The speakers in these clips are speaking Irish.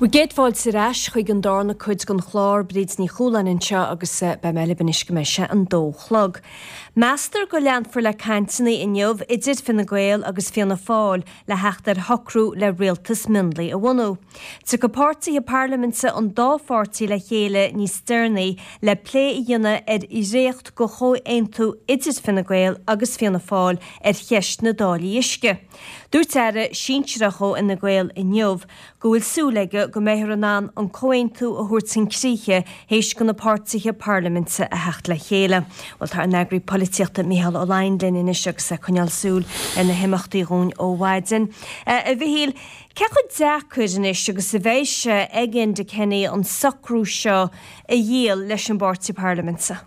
Bhur gcéad fáilte ar ais chuig an darna cuid den chlár, Bríd Ní Chualáin anseo agus beidh mé libh anois go mbeidh sé an dó chlog. Meastar go leanfar le cainteanna inniu idir Fine Gael agus Fianna Fáil le theacht ar shocrú le rialtas mionlaigh a bhunú. Tiocfaidh páirtithe parlaiminte an dá pháirtí le chéile níos deireanaí le plé a dhéanamh ar dhréacht de chomhaontú idir Fine Gael agus Fianna Fáil ar cheist na dtáillí uisce. Dúirt aire sinsearach ó Fhine Gael inniu go bhfuil súil aige go mbeifear in ann an comhaontú a thabhairt chun críche théis do na páirtithe parlaiminte a theacht le chéile. Bhuel, tá ár n-eagraí polaitíochta Micheál Ó Laighin linn anois agus é ag coinneáil súil ar na himeachtaí dhúinn ó mhaidin. A Mhichíl, cé chomh deacair anois agus a bheidh sé ag Enda Kenny an socrú seo a dhíol leis an bpáirtí parlaiminte?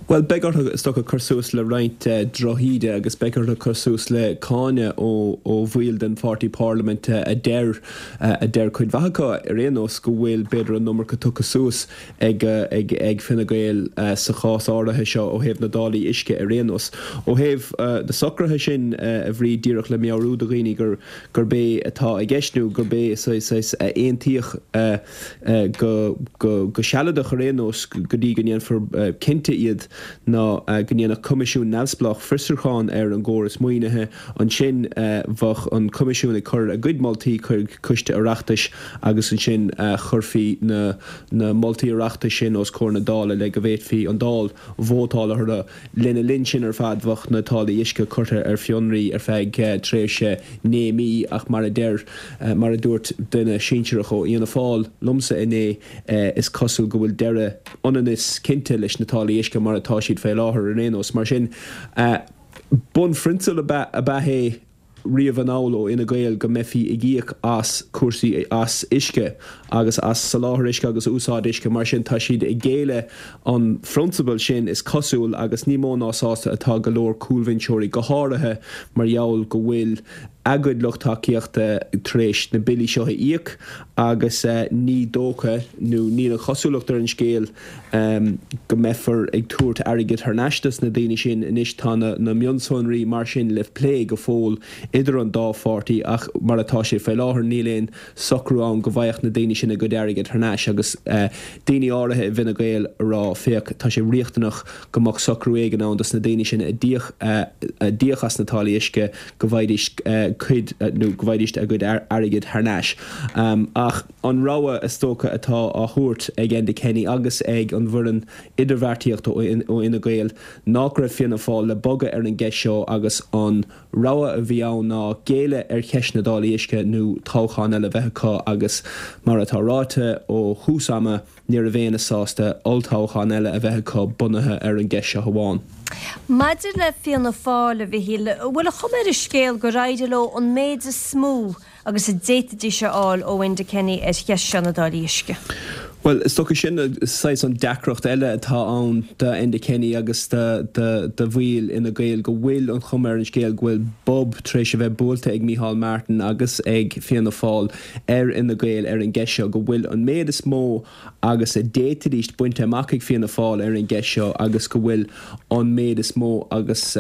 Bhuel, beidh orthu, is dócha, cur suas le roinnt drochíde agus beidh orthu cur suas le cáineadh ó bhaill den pháirtí parlaiminte a deir, a deir cuid mhaith acu ar aon nós, go bhfuil, b'fhéidir, an iomarca tugtha suas ag, ag, ag Fine Gael sa chás áirithe seo ó thaobh na dtáillí uisce ar aon nós. Ó thaobh na socruithe sin, a Bhríd, díreach le meabhrú do dhaoine gur, gurb é atá i gceist nó gurb é saghas a aontaíodh, go sealadach ar aon nós, go dtí go ndéanfar cinnte iad, ná go ndéanfadh coimisiún neamhspleách fiosrúchán ar an gcóras maoinithe. Ansin bheadh an coimisiún ag cur a gcuid moltaí chuig coiste Oireachtais agus ansin chuirfí na moltaí Oireachtais sin os comhair na Dála le go bhféadfaí an Dáil vótáil orthu. Lena linn sin ar fad bheadh na táillí uisce curtha ar fionraí ar feadh tréimhse 9 mí ach mar a deir, mar a dúirt duine sinsearach ó Fhianna Fáil liomsa inné, is cosúil go bhfuil deireadh ionann is cinnte leis na táillí uisce mar atá siad fé láthair ar aon nós. Mar sin, bunphrionsabal ab ea é. riamh anall ó Fhine Gael go mbeifí ag íoc as cúrsaí, as uisce agus as soláthar uisce agus úsáid uisce. Mar sin, tá siad ag géilleadh an phrionsabail sin, is cosúil, agus ní mó ná sásta atá go leor cúlbhinseoirí, go háirithe mar gheall go bhfuil a gcuid lucht tacaíochta tar éis na billí seo a íoc agus ní dócha, nó níl an chosúlacht ar an scéal, go mbeifear ag tabhairt airgid thar n-ais dos na daoine sin. Anois tá na mionsonraí mar sin le plé go fóill idir an dá pháirtí ach mar atá sé faoi láthair níl aon socrú ann go bhfaigheadh na daoine sin a gcuid airgid thar n-ais agus daoine áirithe i bhFine Gael ag rá féach tá sé riachtanach go mbeadh socrú éigin ann dos na daoine sin a d'íoc a d'íoc as na táillí uisce go bhfaighidís cuid nó go bhfaighidís a gcuid airgid thar n-ais. Ach. An rogha, is dócha, atá á thabhairt ag Enda Kenny agus ag an bhfoireann idirbheartaíochta ó Fhine Gael ná go raibh Fianna Fáil le bogadh ar an gceist seo agus an rogha a bhí ann ná géilleadh ar cheist na dtáillí uisce nó toghchán eile a bheith acu agus mar atá ráite ó thús ama ní raibh éinne sásta olltoghchán eile a bheith acu bunaithe ar an gceist seo amháin. Maidir le Fianna Fáil, a Mhichíl, an bhfuil an chuma ar an scéal gur éirigh leo an méid is mó agus a d'fhéadfaidís a fháil ó Enda Kenny ar cheist seo na dtáillí uisce. Bhuel, is dócha sin saghas an deacracht eile atá ann do Enda Kenny agus do bhaill Fhine Gael, go bhfuil an chuma ar an scéal go bhfuil bob tar éis a bheith buailte ag Micheál Martin agus ag Fianna Fáil ar Fhine Gael ar an gceist seo, go bhfuil an méid is mó agus a d'fhéadfaidís bainte amach ag Fianna Fáil ar an gceist seo agus go bhfuil an méid is mó agus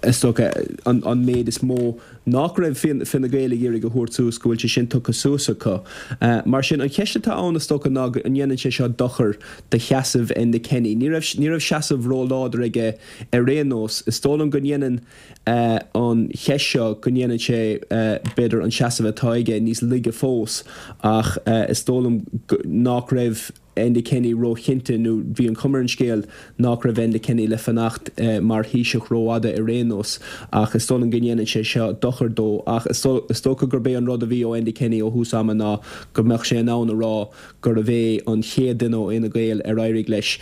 is dócha an méid is mó nach raibh Fine Gael ag iarraidh a thabhairt suas, go bhfuil sé sin tugtha suas acu. Mar sin, an cheist atá ann, is dócha, ná an ndéanann sé seo dochar do sheasamh Enda Kenny. Ní raibh, ní raibh seasamh róláidir aige ar aon nós. Is dóigh liom go ndéanann an cheist seo, go ndéanann sé, b'fhéidir, an seasamh atá aige níos laige fós ach is dóigh liom nach raibh, Enda Kenny róchinnte, nó bhí an chuma ar an scéal nach raibh Enda Kenny le fanacht mar Thaoiseach rófhada ar aon nós, ach is dóigh liom go ndéanann sé seo dochar dó. Ach is dócha gurb é an rud a bhí ó Enda Kenny ó thús ama ná go mbeadh sé in ann a rá gurbh é an chéad duine ó Fhine Gael ar éirigh leis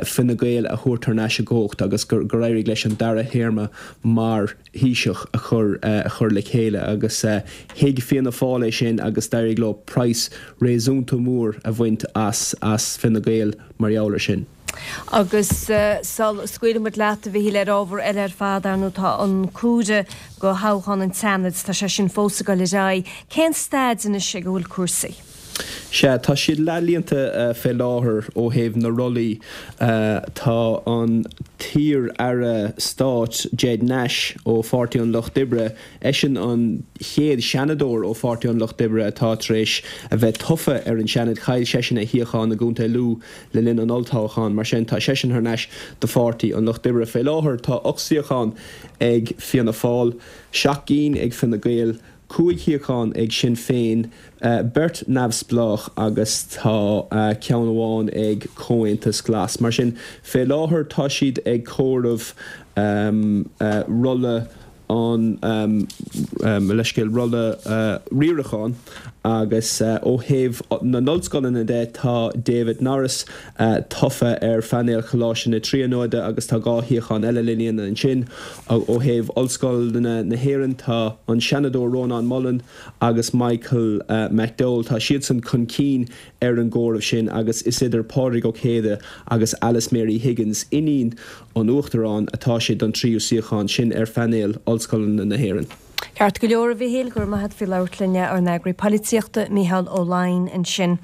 Fine Gael a thabhairt thar n-ais i gcumhacht agus gur éirigh leis an dara théarma mar Thaoiseach a chur a chur le chéile agus thuig Fianna Fáil é sin agus d'éirigh leo praghas réasúnta mór a bhaint as as Fine Gael mar gheall ar sin. Agus sula scaoilfidh muid leat, a Mhichíl, ar ábhar eile ar fad, ar ndóigh, tá an comhaireamh do thoghchán an tSeanaid, tá sé sin fós ag dul ar aghaidh. Cén staid anois ag a bhfuil cúrsaí? Sea, tá siad leathlíonta fé láthair ó thaobh na rollaí. Tá an t-iar-aire stáit Ged Nash ó Pháirtí an Lucht Oibre, eisean an chéad Seanadóir ó Pháirtí an Lucht Oibre atá tar éis a bheith tofa ar an Seanad. Chaill seisean a shuíochán i gContae Lú le linn an olltoghcháin. Mar sin, tá seisean thar n-ais do Pháirtí an Lucht Oibre. Fé láthair tá 8 suíochán ag Fianna Fáil, 7 gcinn ag Fine Gael, 5 shuíochán ag Sinn Féin, beirt neamhspleách agus tá ceann amháin ag Comhaontas Glas. Mar sin, fé láthair tá siad ag comhaireamh rolla an, mo leithscéal, rolla riaracháin agus ó thaobh na n-ollscoileanna de tá David Norris tofa ar phainéal Choláiste na Tríonóide agus tá 2 shuíochán eile le líonadh ansin. Ó thaobh Ollscoileanna na hÉireann tá an Seanadóir Rónán Mullen agus Michael McDowell, tá siadsan chun cinn ar an gcomhaireamh sin agus is idir Pádraig Ó Céide agus Alice Mary Higgins, iníon an Uachtaráin, atá sé don tríú suíochán sin ar phainéal Ollscoileanna na hÉireann. Ceart go leor, a Mhíchíl, go raibh maith agat faoi labhairt linn, ár n-eagraí polaitíochta, Mícheál Ó Laighin, ansin.